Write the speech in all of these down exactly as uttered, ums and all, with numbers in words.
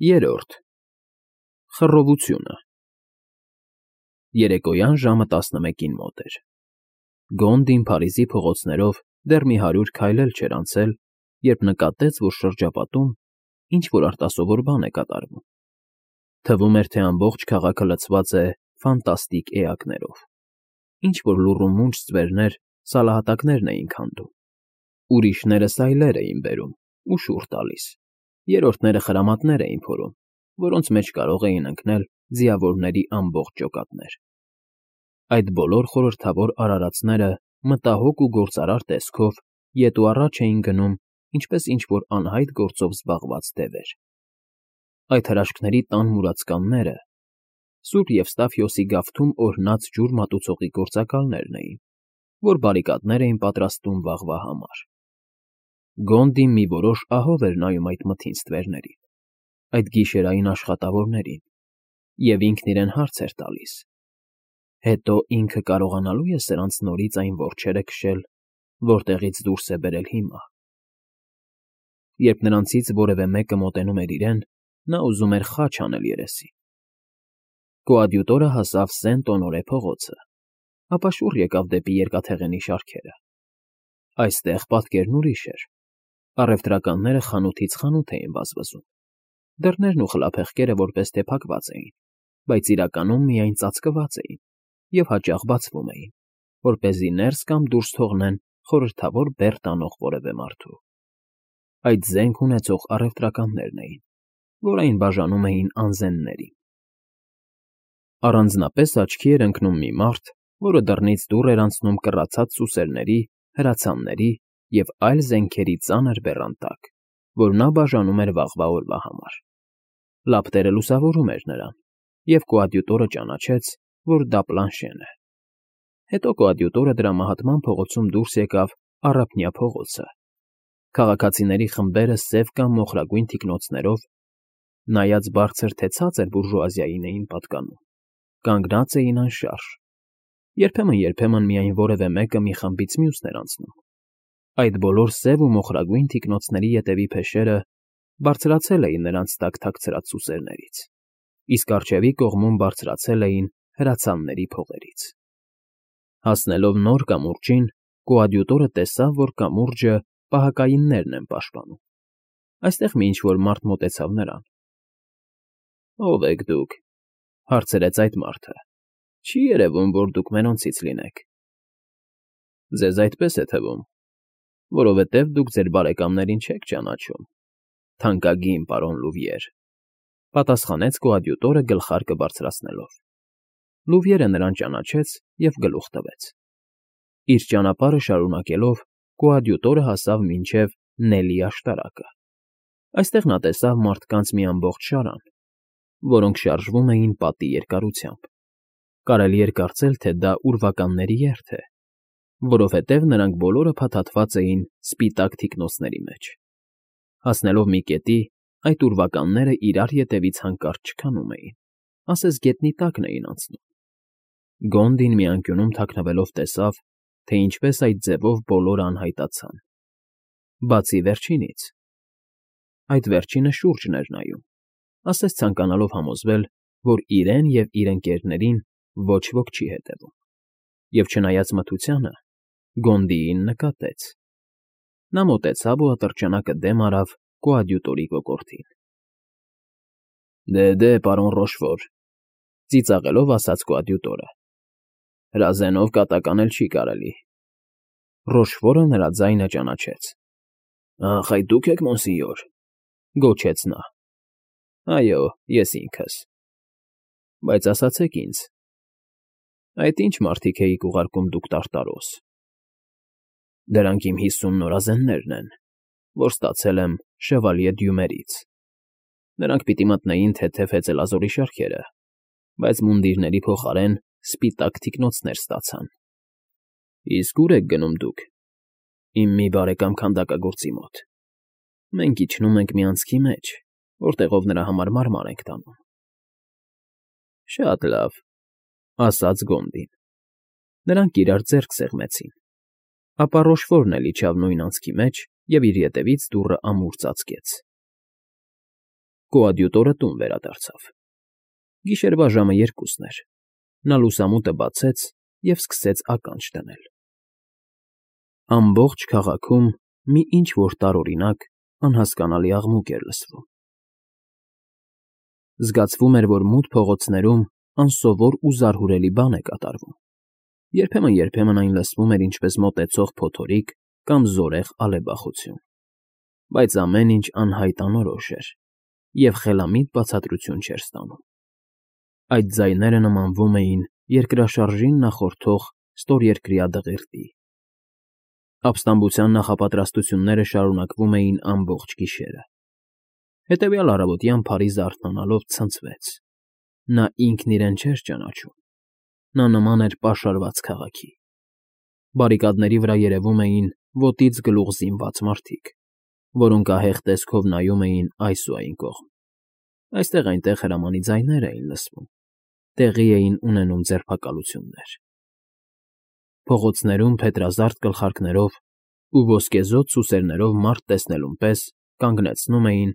Երրորդ Խռովությունը Երեկոյան ժամը տասնմեկին մոտ էր։ Գոնդին Փարիզի փողոցներով դեռ մի հարյուր քայլ էլ չէր անցել, երբ նկատեց, որ շրջապատում ինչ֊որ արտասովոր բան է կատարվում։ Թվում էր, թե ամբողջ քաղաքը լցված է ֆանտաստիկ էակներով։ Ինչ֊որ լուռումունջ ստվերներ սալահատակներն էին քանդում, ուրիշները սայլեր էին բերում ու շուռ տալիս, երրորդները խրամատներ էին փորում, որոնց մեջ կարող էին ընկնել ձիավորների ամբողջ ջոկատներ։ Այդ բոլոր խորհրդավոր արարածները մտահոգ ու գործարար տեսքով ետ ու առաջ էին գնում, ինչպես ինչ֊որ անհայտ գործով զբաղված դևեր։ Այդ հրաշքների տան մուրացկանները Սուր Եվստաթիոսի գավթում օրհնած ջուր մատուցողի գործակալներն էին, որ բարիկադներ էին պատրաստում վաղվա համար։ Գոնդին մի որոշ ահով էր նայում այդ մթին ստվերներին, այդ գիշերային աշխատավորներին, և ինքն իրեն հարց էր տալիս. հետո ինքը կարողանալո՞ւ է սրանց նորից այն որջերը քշել, որտեղից դուրս է բերել հիմա։ Երբ նրանցից որևէ մեկը մոտենում էր իրեն, նա ուզում էր խաչ անել երեսին։ Կոադյուտորը հասավ Սենտ֊Օնորե փողոցը, ապա շուռ եկավ դեպի երկաթեղենի շարքերը։ Այստեղ պատկերն ուրիշ էր։ Առևտրականները խանութից խանութ էին վազվզում։ Դռներն ու խլափեղկերը որպես թե փակված էին, բայց իրականում միայն ծածկված էին և հաճախ բացվում էին, որպեսզի ներս կամ դուրս թողնեն խորհրդավոր բեռ տանող որևէ մարդու։ Այդ զենք ունեցող առևտրականներն էին, որ այն բաժանում էին անզեններին։ Առանձնապես աչքի էր ընկնում մի մարդ, որը դռնից դուռ էր անցնում կռացած սուսերների, հրացանների և այլ զենքերի ծանր բեռան տակ, որ նա բաժանում էր վաղվա օրվա համար։ Լապտերը լուսավորում էր նրան, և կոադյուտորը ճանաչեց, որ դա Պլանշեն է։ Հետո կոադյուտորը դրամահատման փողոցում դուրս եկավ Առափնյա փողոցը։ Քաղաքացիների խմբերը սև կամ մոխրագույն թիկնոցներով, նայած բարձր թե ցածր բուրժուազիային էին պատկանում, կանգնած էին անշարժ։ Երբեմն֊երբեմն միայն որևէ մեկը մի խմբից մյուսն էր անցնում։ Այդ բոլոր սև ու մոխրագույն թիկնոցների ետևի փեշերը բարձրացել էին նրանց տակ թաքցրած սուսերներից, իսկ առջևի կողմում բարձրացել էին հրացանների փողերից։ Հասնելով նոր կամուրջին, կոադյուտորը տեսավ, որ կամուրջը պահակայիններն են պաշտպանում։ Այստեղ մի ինչ֊որ մարդ մոտեցավ նրան։ ֊ Ո՞վ եք դուք,֊ հարցրեց այդ մարդը։ Չի երևում, որ դուք մենոնցից լինեք։ ֊ Ձեզ այդպես է թվում, որովհետև դուք ձեր բարեկամներին չեք ճանաչում, թանկագին պարոն Լուվիեր,֊ պատասխանեց կոադյուտորը գլխարկը բարձրացնելով։ Լուվիերը նրան ճանաչեց և գլուխ տվեց։ Իր ճանապարհը շարունակելով, կոադյուտորը հասավ մինչև Նելի աշտարակը։ Այստեղ նա տեսավ մարդկանց մի ամբողջ շարան, որոնք շարժվում էին պատի երկարությամբ։ Կարելի էր կարծել, թե դա ուրվականների երթ է, որովհետև նրանք բոլորը փաթաթված էին սպիտակ թիկնոցների մեջ։ Հասնելով մի կետի, այդ ուրվականները իրար ետևից հանկարծ չքանում էին, ասես գետնի տակն էին անցնում։ Գոնդին մի անկյունում թաքնվելով տեսավ, թե ինչպես այդ ձևով բոլորը անհայտացան, բացի վերջինից։ Այդ վերջինը շուրջն էր նայում, ասես ցանկանալով համոզվել, որ իրեն և իր ընկերներին ոչ ոք չի հետևում, և չնայած մթությանը, Գոնդիին նկատեց։ Նա մոտեցավ ու ատրճանակը դեմ արավ կոադյուտորի կոկորդին։ ֊ Դե, դե, պարոն Ռոշֆոր,֊ ծիծաղելով ասաց կոադյուտորը,֊ հրազենով կատակ անել չի կարելի։ Ռոշֆորը նրա ձայնը ճանաչեց։ ֊ Ախ, այդ դու՞ք եք, մոնսինյոր,֊ գոչեց նա։ ֊ Այո, ես ինքս։ ֊ Բայց ասացեք ինձ, այդ ի՞նչ մարդիկ էիք ուղարկում դուք Տարտարոս։ ֊ Դրանք իմ հիսուն նորազեններն են, որ ստացել եմ շևալյե Դյումերից։ Նրանք պիտի մտնեին թեթև հեծելազորի շարքերը, բայց մունդիրների փոխարեն սպիտակ թիկնոցներ ստացան։ ֊ Իսկ ո՞ւր եք գնում դուք։ ֊ Իմ մի բարեկամ քանդակագործի մոտ։ Մենք իջնում ենք մի անցքի մեջ, որտեղով նրա համար մարմար ենք տանում։ ֊ Շատ լավ,֊ ասաց Գոնդին։ Նրանք իրար ձեռք սեղմեցին, ապա Ռոշֆորն էլ իջավ նույն անցքի մեջ և իր ետևից դուռը ամուր ծածկեց։ Կոադյուտորը տուն վերադարձավ։ Գիշերվա ժամը երկուսն էր։ Նա լուսամուտը բացեց և սկսեց ականջ դնել։ Ամբողջ քաղաքում մի ինչ֊որ տարօրինակ, անհասկանալի աղմուկ էր լսվում։ Զգացվում էր, որ մութ փողոցներում անսովոր ու զարհուրելի բան է կատարվում։ Երբեմն֊երբեմն այն լսվում էր ինչպես մոտեցող փոթորիկ կամ զորեղ ալեբախություն։ Բայց ամեն ինչ անհայտ անորոշ էր, և խելամիտ բացատրություն չէր ստանում։ Այդ ձայները նմանվում էին երկրաշարժին նախորդող ստորերկրյա դղիրդի։ Ապստամբության նախապատրաստությունները շարունակվում էին ամբողջ գիշերը։ Հետևյալ առավոտյան Փարիզը արթնանալով ցնցվեց։ Նա ինքն իրեն չէր ճանաչում։ Նա նման էր պաշարված քաղաքի։ Բարիկադների վրա երևում էին ոտից գլուխ զինված մարդիկ, որոնք ահեղ տեսքով նայում էին այս ու այն կողմ։ Այստեղ֊այնտեղ հրամանի ձայներ էին լսվում, տեղի էին ունենում ձերբակալություններ։ Փողոցներում փետրազարդ գլխարկներով ու ոսկեզօծ սուսերներով մարդ տեսնելուն պես կանգնեցնում էին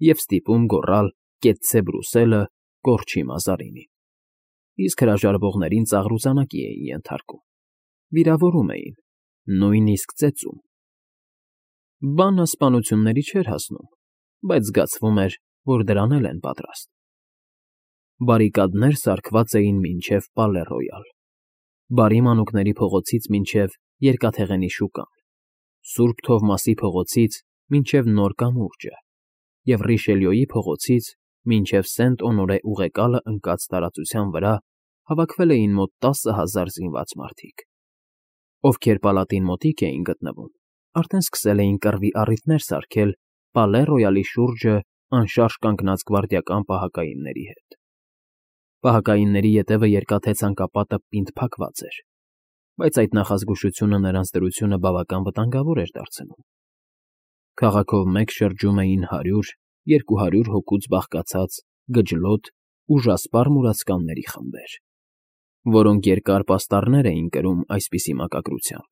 և ստիպում գոռալ «Կեցցե Բրուսելը» կորչի Մազարինին, իսկ հրաժարվողներին ծաղրուծանակի էին ենթարկում, վիրավորում էին, նույնիսկ ծեծում։ Բանը սպանությունների չէր հասնում, բայց զգացվում էր, որ դրան էլ են պատրաստ։ Բարիկադներ սարքված էին մինչև Պալե Ռոյալ, Բարի Մանուկների փողոցից մինչև Երկաթեղենի շուկան, Սուրբ Թովմասի փողոցից մինչև Նոր կամուրջը և Ռիշելյոյի փողոցից մինչև Սենտ֊Օնորե ուղեկալը ընկած տարածության վրա հավաքվել էին մոտ տասը հազար զինված մարդիկ։ Ովքեր պալատին մոտիկ էին գտնվում, արդեն սկսել էին կռվի առիթներ սարքել Պալե Ռոյալի շուրջը անշարժ կանգնած գվարդիական պահակայինների հետ։ Պահակայինների ետևը երկաթե ցանկապատը պինդ փակված էր, բայց այդ նախազգուշությունը նրանց դրությունը բավական վտանգավոր էր դարձնում։ Քաղաքով մեկ շրջում էին հարյուր, երկու հարյուր հոգուց բաղկացած գջլոտ, ուժասպառ մուրացկանների խմբեր, որոնք երկար պաստառներ էին կրում այսպիսի մակագրությամբ.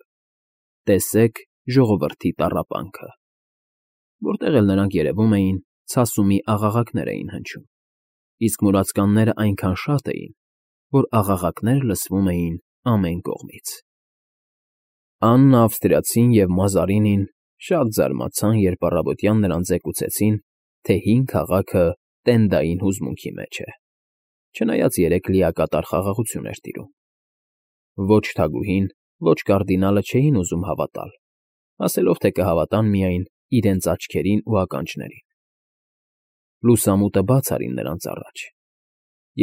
«Տեսեք ժողովրդի տառապանքը», որտեղ էլ նրանք երևում էին, ցասումի աղաղակներ էին հնչում, իսկ մուրացկաններն այնքան շատ էին, որ աղաղակներ լսվում էին ամեն կողմից։ Աննը Ավստրիացին և Մազարինին շատ զարմացան, երբ առավոտյան նրանց զեկուցեցին, թե հին քաղաքը տենդային հուզմունքի մեջ է, չնայած երեկ լիակատար խաղաղություն էր տիրում։ Ոչ թագուհին, ոչ կարդինալը չէին ուզում հավատալ, ասելով, թե կհավատան միայն իրենց աչքերին ու ականջներին։ Լուսամուտը բաց արին նրանց առաջ,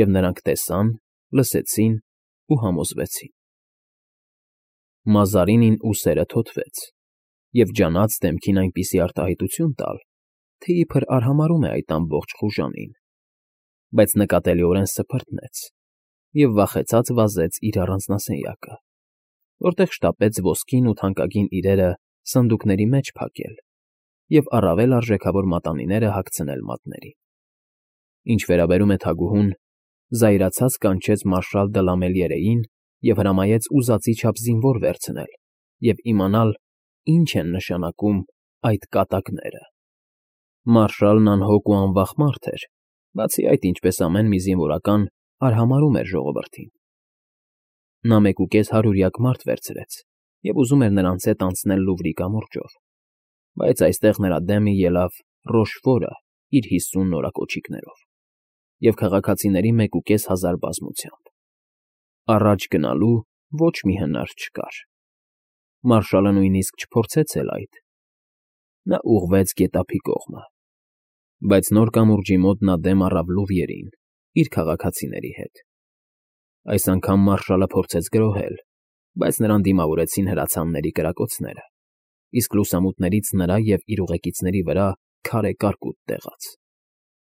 և նրանք տեսան, լսեցին ու համոզվեցին։ Մազարինին ուսերը թոթվեց և ջանաց դեմքին այնպիսի արտահայտություն տալ, թե իբր արհամարհում է այդ ամբողջ խուժանին, բայց նկատելիորեն սփռտնեց և վախեցած վազեց իր առանձնասենյակը, որտեղ շտապեց ոսկին ու թանկագին իրերը սնդուկների մեջ փակել և առավել արժեքավոր մատանիները հագցնել մատներին։ Ինչ վերաբերում է թագուհուն, զայրացած կանչեց մարշալ դը Լամելիերեին և հրամայեց ուզածի չափ զինվոր վերցնել և իմանալ, ինչ են նշանակում այդ կատակները։ Մարշալն անհոգ ու անվախ մարդ էր, բացի այդ, ինչպես ամեն մի զինվորական, արհամարհում էր ժողովրդին։ Նա մեկուկես հարյուրյակ մարդ վերցրեց և ուզում էր նրանց հետ անցնել Լուվրի կամուրջով, բայց այստեղ նրա դեմը ելավ Ռոշֆորը իր հիսուն նորակոչիկներով և քաղաքացիների մեկուկես հազար բազմությամբ։ Առաջ գնալու ոչ մի հնար չկար։ Մարշալը նույնիսկ չփորձեց էլ այդ։ Նա ուղղվեց գետափի կողմը, բայց Նոր կամուրջի մոտ նա դեմ առավ Լուվրին իր քաղաքացիների հետ։ Այս անգամ մարշալը փորձեց գրոհել, բայց նրան դիմավորեցին հրացանների կրակոցները, իսկ լուսամուտներից նրա և իր ուղեկիցների վրա քարե կարկուտ տեղաց։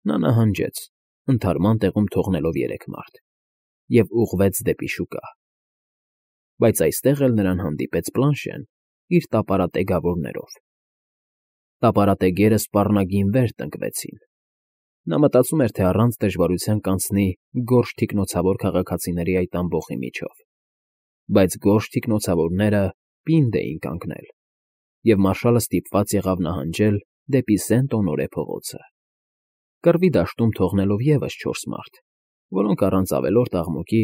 Նա նահանջեց, ընդհարման տեղում թողնելով երեք մարդ, և ուղղվեց դեպի շուկա։ Բայց այստեղ էլ նրան հանդիպեց Պլանշեն իր տապարատեգավորներով։ Տապարատեգերը սպառնագին վեր տնկվեցին։ Նա մտածում էր, թե առանց դժվարության կանցնի գորշ թիկնոցավոր քաղաքացիների այդ ամբոխի միջով, բայց գորշ թիկնոցավորները պինդ էին կանգնել, և մարշալը ստիպված եղավ նահանջել դեպի Սենտ֊Օնորե փողոցը։ կռվի դաշտում թողնելով ևս չորս մարդ, որոնք առանց ավելորդ աղմուկի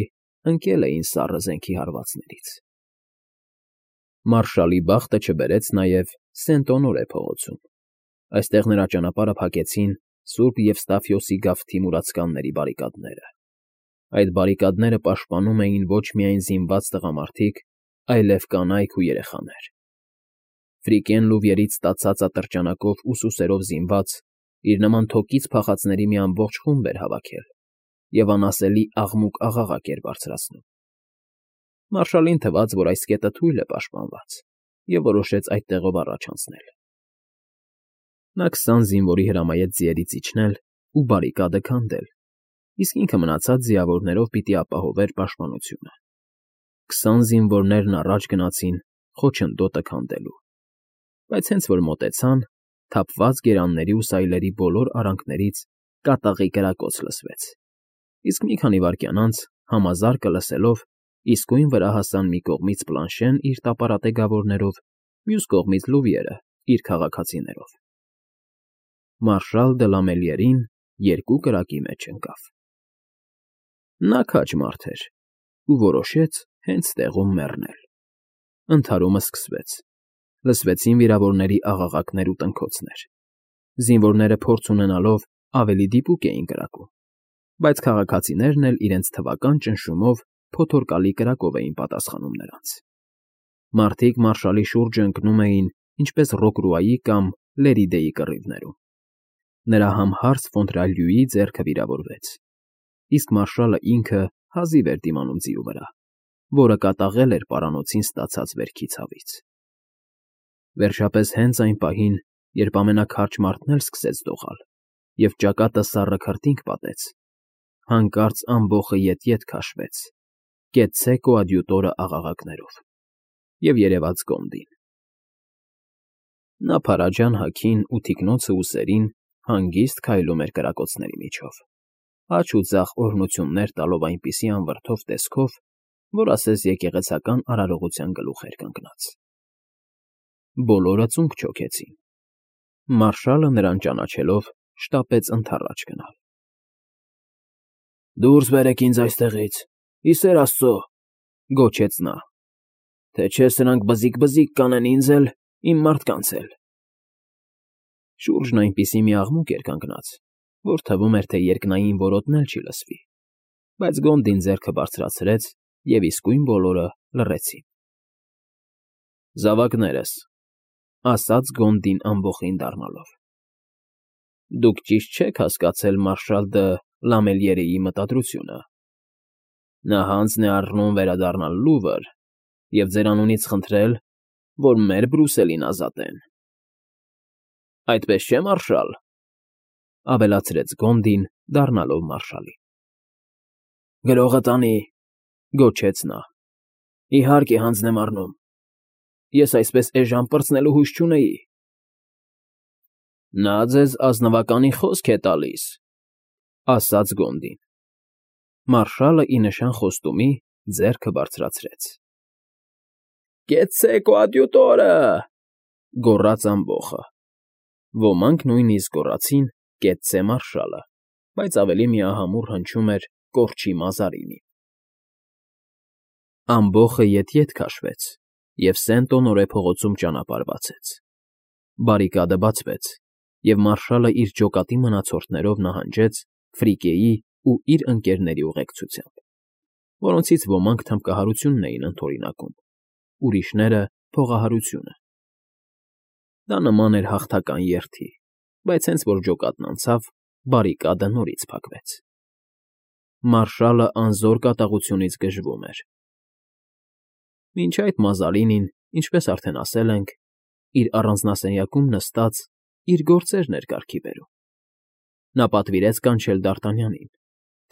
ընկել էին սառը զենքի հարվածներից։ Մարշալի բախտը չբերեց նաև Սենտ֊Օնորե փողոցում։ Այստեղ նրա ճանապարհը փակեցին Սուրբ Եվստաֆիոսի գավթի մուրացկանների բարիկադները։ Այդ բարիկադները պաշտպանում էին ոչ միայն զինված տղամարդիկ, այլև կանայք ու երեխաներ։ Ֆրիկեն լուվիերից ստացած ատրճանակով ու սուսերով զինված, իր նման թոկից փախածների մի ամբողջ խումբ էր հավաքել և անասելի աղմուկ֊աղաղակ էր բարձրացնում։ Մարշալին թվաց, որ այս կետը թույլ է պաշտպանված, և որոշեց այդ տեղով առաջ անցնել։ Նա քսան զինվորի հրամայեց ձիերից իջնել ու բարիկադը քանդել, իսկ ինքը մնացած ձիավորներով պիտի ապահովեր պաշտպանությունը։ Քսան զինվորներն առաջ գնացին խոչընդոտը քանդելու, բայց հենց որ մոտեցան, թափված գերանների ու սայլերի բոլոր արանքներից կատաղի կրակոց լսվեց, իսկ մի քանի վայրկյան անց, համազարկը լսելով, իսկույն վրա հասան մի կողմից Պլանշեն իր տապարատեգավորներով, մյուս կողմից Լուվիերը իր քաղաքացիներով։ Մարշալ դը Լամելիերին երկու կրակի մեջ ընկավ։ Նա քաջ մարդ էր ու որոշեց հենց տեղում մեռնել։ Ընդհարումը սկսվեց։ Լսվեցին վիրավորների աղաղակներ ու տնքոցներ։ Զինվորները փորձ ունենալով ավելի դիպուկ էին կրակում, բայց քաղաքացիներն էլ իրենց թվական ճնշումով փոթորկալի կրակով էին պատասխանում նրանց։ Մարդիկ մարշալի շուրջը ընկնում էին ինչպես Ռոկրուայի կամ Լերիդեի կռիվներում։ Նրա համհարց Ֆոնտրալյուի ձեռքը վիրավորվեց, իսկ մարշալը ինքը հազիվ էր դիմանում ձիու վրա, որը կատաղել էր պարանոցին ստացած վերքի ցավից։ Վերջապես հենց այն պահին, երբ ամենաքարճ մարդն էլ սկսեց դողալ, և ճակատը սառը քրտինք պատեց, հանկարծ ամբոխը ետ֊ետ քաշվեց, կեցցե կոադյուտորը աղաղակներով, և երևաց Գոնդին։ Նա փարաջան հագին ու թիկնոցը ուսերին հանգիստ քայլում էր կրակոցների միջով, աջ ու ձախ օրհնություններ տալով այնպիսի անվրդով տեսքով, որ ասես եկեղեցական արարողության գլուխ էր կանգնած։ Բոլորը ծունկ չոքեցին։ Մարշալը նրան ճանաչելով շտապեց ընդառաջ գնալ։ «Դուրս բերեք ինձ այստեղից, ի սեր Աստծո», գոչեց նա, «թե չէ սրանք բզիկ֊բզիկ կանեն ինձ էլ, իմ մարդկանց էլ»։ Շուրջն այնպիսի մի աղմուկ էր կանգնած, որ թվում էր, թե երկնային որոտն էլ չի լսվի, բայց Գոնդին ձեռքը բարձրացրեց, և իսկույն բոլորը լռեցին։ «Զավակներս», ասաց Գոնդին ամբոխին դառնալով, «դուք ճիշտ չեք հասկացել մարշալ դը Լամելիերեի մտադրությունը։ Նա հանձն է առնում վերադառնալ Լուվր և ձեր անունից խնդրել, որ մեր Բրուսելին ազատեն։ Այդպես չէ՞, մարշալ», ավելացրեց Գոնդին, դառնալով մարշալին։ «Գրողը տանի», գոչեց նա, «իհարկե հանձն եմ առնում։ Ես այսպես էժան պրծնելու հույս չունեի»։ «Նա ձեզ ազնվականի խոսք է տալիս», ասաց Գոնդին։ Մարշալը ի նշան խոստումի ձեռքը բարձրացրեց։ «Կեցցե կոադյուտորը», գոռաց ամբոխը։ Ոմանք նույնիսկ գոռացին «Կեցցե մարշալը», բայց ավելի միահամուռ հնչում էր «Կորչի Մազարինին»։ Ամբոխը ետ֊ետ քաշվեց, և Սենտ֊Օնորե փողոցում ճանապարհ բացեց։ Բարիկադը բացվեց, և մարշալը իր ջոկատի մնացորդներով նահանջեց Ֆրիկեի ու իր ընկերների ուղեկցությամբ, որոնցից ոմանք թմբկահարությունն էին ընդօրինակում, ուրիշները՝ փողահարությունը։ Դա նման էր հաղթական երթի, բայց հենց որ ջոկատն անցավ, բարիկադը նորից փակվեց։ Մարշալը անզոր կատաղությունից գժվում էր։ Մինչ այդ Մազարինին, ինչպես արդեն ասել ենք, իր առանձնասենյակում նստած իր գործերն էր կարգի բերում։ Նա պատվիրեց կանչել Դ'Արտանյանին,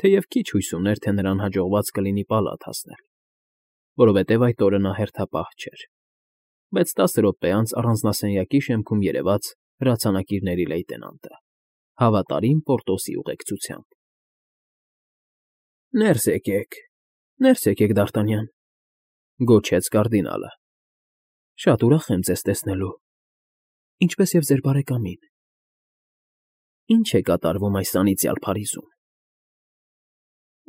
թեև քիչ հույս ուներ, թե նրան հաջողված կլինի պալատ հասնել, որովհետև այդ օրը նա հերթապահ չէր, բայց տասը րոպե անց առանձնասենյակի շեմքում երևաց հրացանակիրների լեյտենանտը, հավատարիմ Պորտոսի ուղեկցությամբ։ «Ներս եկեք, ներս եկեք, Դ'Արտանյան», գոչեց կարդինալը։ «Շատ ուրախ եմ ձեզ տեսնելու, ինչպես և ձեր բարեկամին»։ Ինչ է կատարվում այս անիծյալ Փարիզում։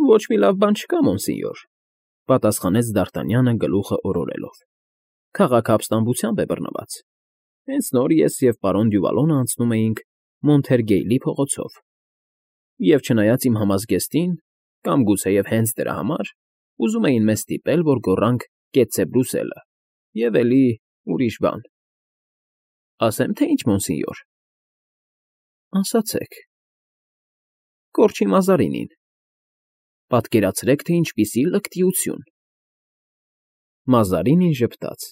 Ոչ մի լավ բան չկա, մոնսինյոր, պատասխանեց Դ'Արտանյանը գլուխը օրորելով։ Քաղաքը ապստամբությամբ է բռնված։ Հենց նոր ես և պարոն Դյուվալոնը անցնում էինք Մոնթերգեյլի փողոցով, և չնայած իմ համազգեստին, կամ գուցեև հենց դրա համար, ուզում էին մեզ ստիպել, որ գոռանք «Կեցցե Բրուսելը» և էլի ուրիշ բան։ Ասե՞մ, թե ինչ, մոնսինյոր։ Ասացեք։ Կորչի Մազարինին։ Պատկերացրեք, թե ինչպիսի լկտիություն։ Մազարինին ժպտաց,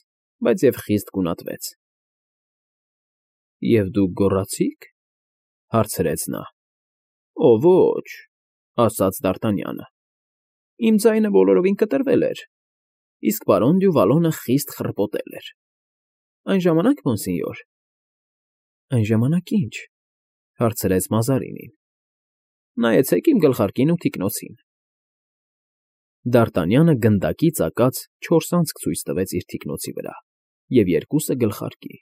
բայց և խիստ գունատվեց։ Եվ դուք գոռացի՞ք,֊ հարցրեց նա։ Օ, ոչ,֊ ասաց Դ'Արտանյանը։ Իմ ձայնը բոլորովին կտրվել էր, իսկ պարոն Դյուվալոնը խիստ խռպոտել էր։ Այն ժամանակ, մոնսինյոր։ Այն ժամանակ ի՞նչ,֊ հարցրեց Մազարինին։ Նայեցեք իմ գլխարկին ու թիկնոցին։ Դ'Արտանյանը գնդակի ծակած չորս անցք ցույց տվեց իր թիկնոցի վրա և երկուսը գլխարկի։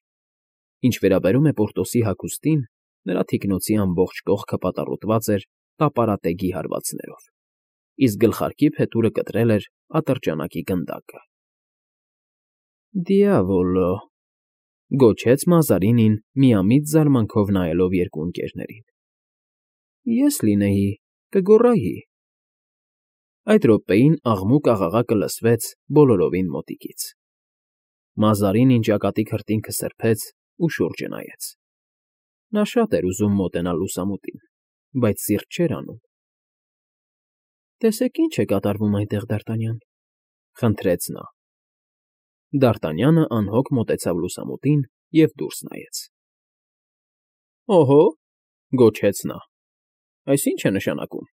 Ինչ վերաբերում է Պորտոսի հագուստին, նրա թիկնոցի ամբողջ կողքը պատառոտված էր տապարատեգի հարվածներով, իսկ գլխարկի փետուրը կտրել էր ատրճանակի գնդակը։ Դիավոլո,֊ գոչեց Մազարինին, միամիտ զարմանքով նայելով երկու ընկերներին։ Ես լինեի, կգոռայի։ Այդ րոպեին աղմուկ֊աղաղակը լսվեց բոլորովին մոտիկից։ Մազարինին ճակատի քրտինքը սրբեց ու շուրջը նայեց։ Նա շատ էր ուզում մոտենալ լուսամուտին, բայց սիրտ չէր անում։ Տեսեք ինչ է կատարվում այնտեղ, Դ'Արտանյան,֊ խնդրեց նա։ Դ'Արտանյանը անհոգ մոտեցավ լուսամուտին և դուրս նայեց։ Օհո,֊ գոչեց նա,֊ այս ի՞նչ է նշանակում։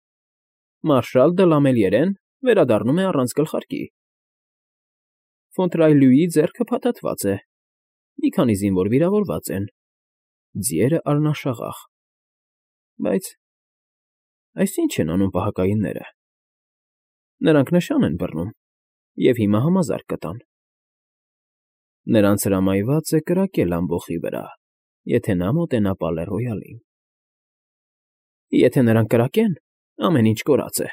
Մարշալ դը Լամելիերեն վերադառնում է առանց գլխարկի։ Ֆոնտրայլուի ձեռքը փաթաթված է, մի քանի զինվոր վիրավորված են, ձիերը արնաշաղախ։ Բայց այս ի՞նչ են անում պահակայինները։ Նրանք նշան են բռնում և հիմա համազարկ կտան։ Նրանց հրամայված է կրակել ամբոխի վրա, եթե նա մոտենա Պալե Ռոյալին։ Եթե նրանք կրակեն, ամեն ինչ կորած է,֊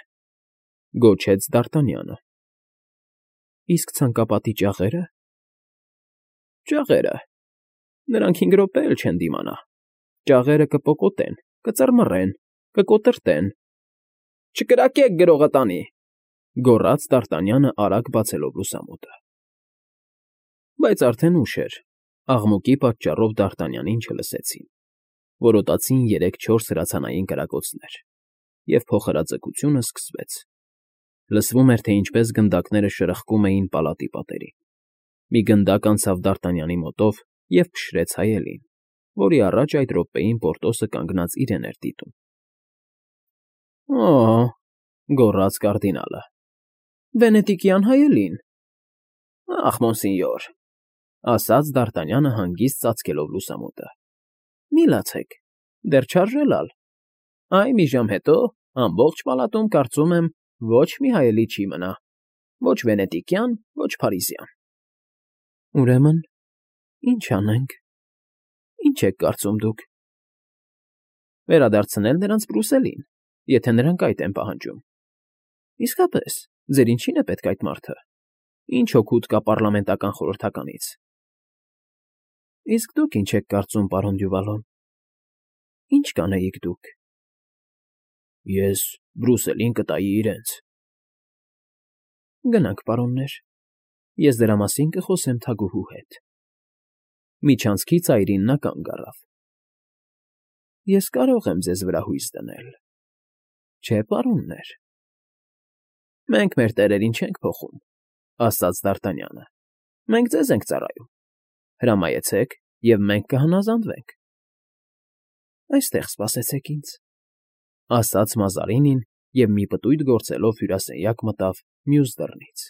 գոչեց Դ'Արտանյանը։ Իսկ ցանկապատի ճաղե՞րը։ Ճաղերը… Նրանք հինգ րոպե էլ չեն դիմանա։ Ճաղերը կպոկոտեն, կծռմռեն, կկոտրտեն։ Չկրակեք գրողը տանի,֊ գոռաց Դ'Արտանյանը արագ բացելով լուսամուտը։ Բայց արդեն ուշ էր, աղմուկի պատճառով Դ'Արտանյանին չլսեցին։ Որոտացին երեք֊չորս հրացանային կրակոցներ, և փոխհրաձգությունը սկսվեց։ Լսվում էր, թե ինչպես գնդակները շրխկում էին պալատի պատերին։ Մի գնդակ անցավ Դ'Արտանյանի մոտով և փշրեց հայելին, որի առաջ այդ րոպեին Պորտոսը կանգնած իրեն էր դիտում։ Օ՜օ,֊ գոռաց կարդինալը,֊ վենետիկյան հայելին։ Ախ, մոնսինյոր,֊ ասաց Դ'Արտանյանը հանգիստ ծածկելով լուսամուտը,֊ մի լացեք, դեռ չարժե լալ։ Այ մի ժամ հետո ամբողջ պալատում, կարծում եմ, ոչ մի հայելի չի մնա, ոչ վենետիկյան, ոչ փարիզյան։ Ուրեմն, ի՞նչ անենք, ի՞նչ եք կարծում դուք։ Վերադարձնել նրանց Բրուսելին, եթե նրանք այդ են պահանջում։ Իսկապես, ձեր ինչի՞ն է պետք այդ մարդը։ Ինչ օգուտ կա պառլամենտական խորհրդականից։ Իսկ դուք ինչ եք կարծում, պարոն Դյուվալոն, ի՞նչ կանեիք դուք։ Ես Բրուսելին կտայի իրենց։ Գնանք, պարոններ, ես դրա մասին կխոսեմ թագուհու հետ։ Միջանցքի ծայրին նա կանգ առավ։ Ես կարող եմ ձեզ վրա հույս դնել, չէ՞, պարոններ։ Մենք մեր տերերին չենք փոխում,֊ ասաց Դ'Արտանյանը։ Մենք ձեզ ենք ծառայում։ Հրամայեցեք, և մենք կհնազանդվենք։ Այստեղ սպասեցեք ինձ,֊ ասաց Մազարինին և մի պտույտ գործելով հյուրասենյակ մտավ մյուս դռնից։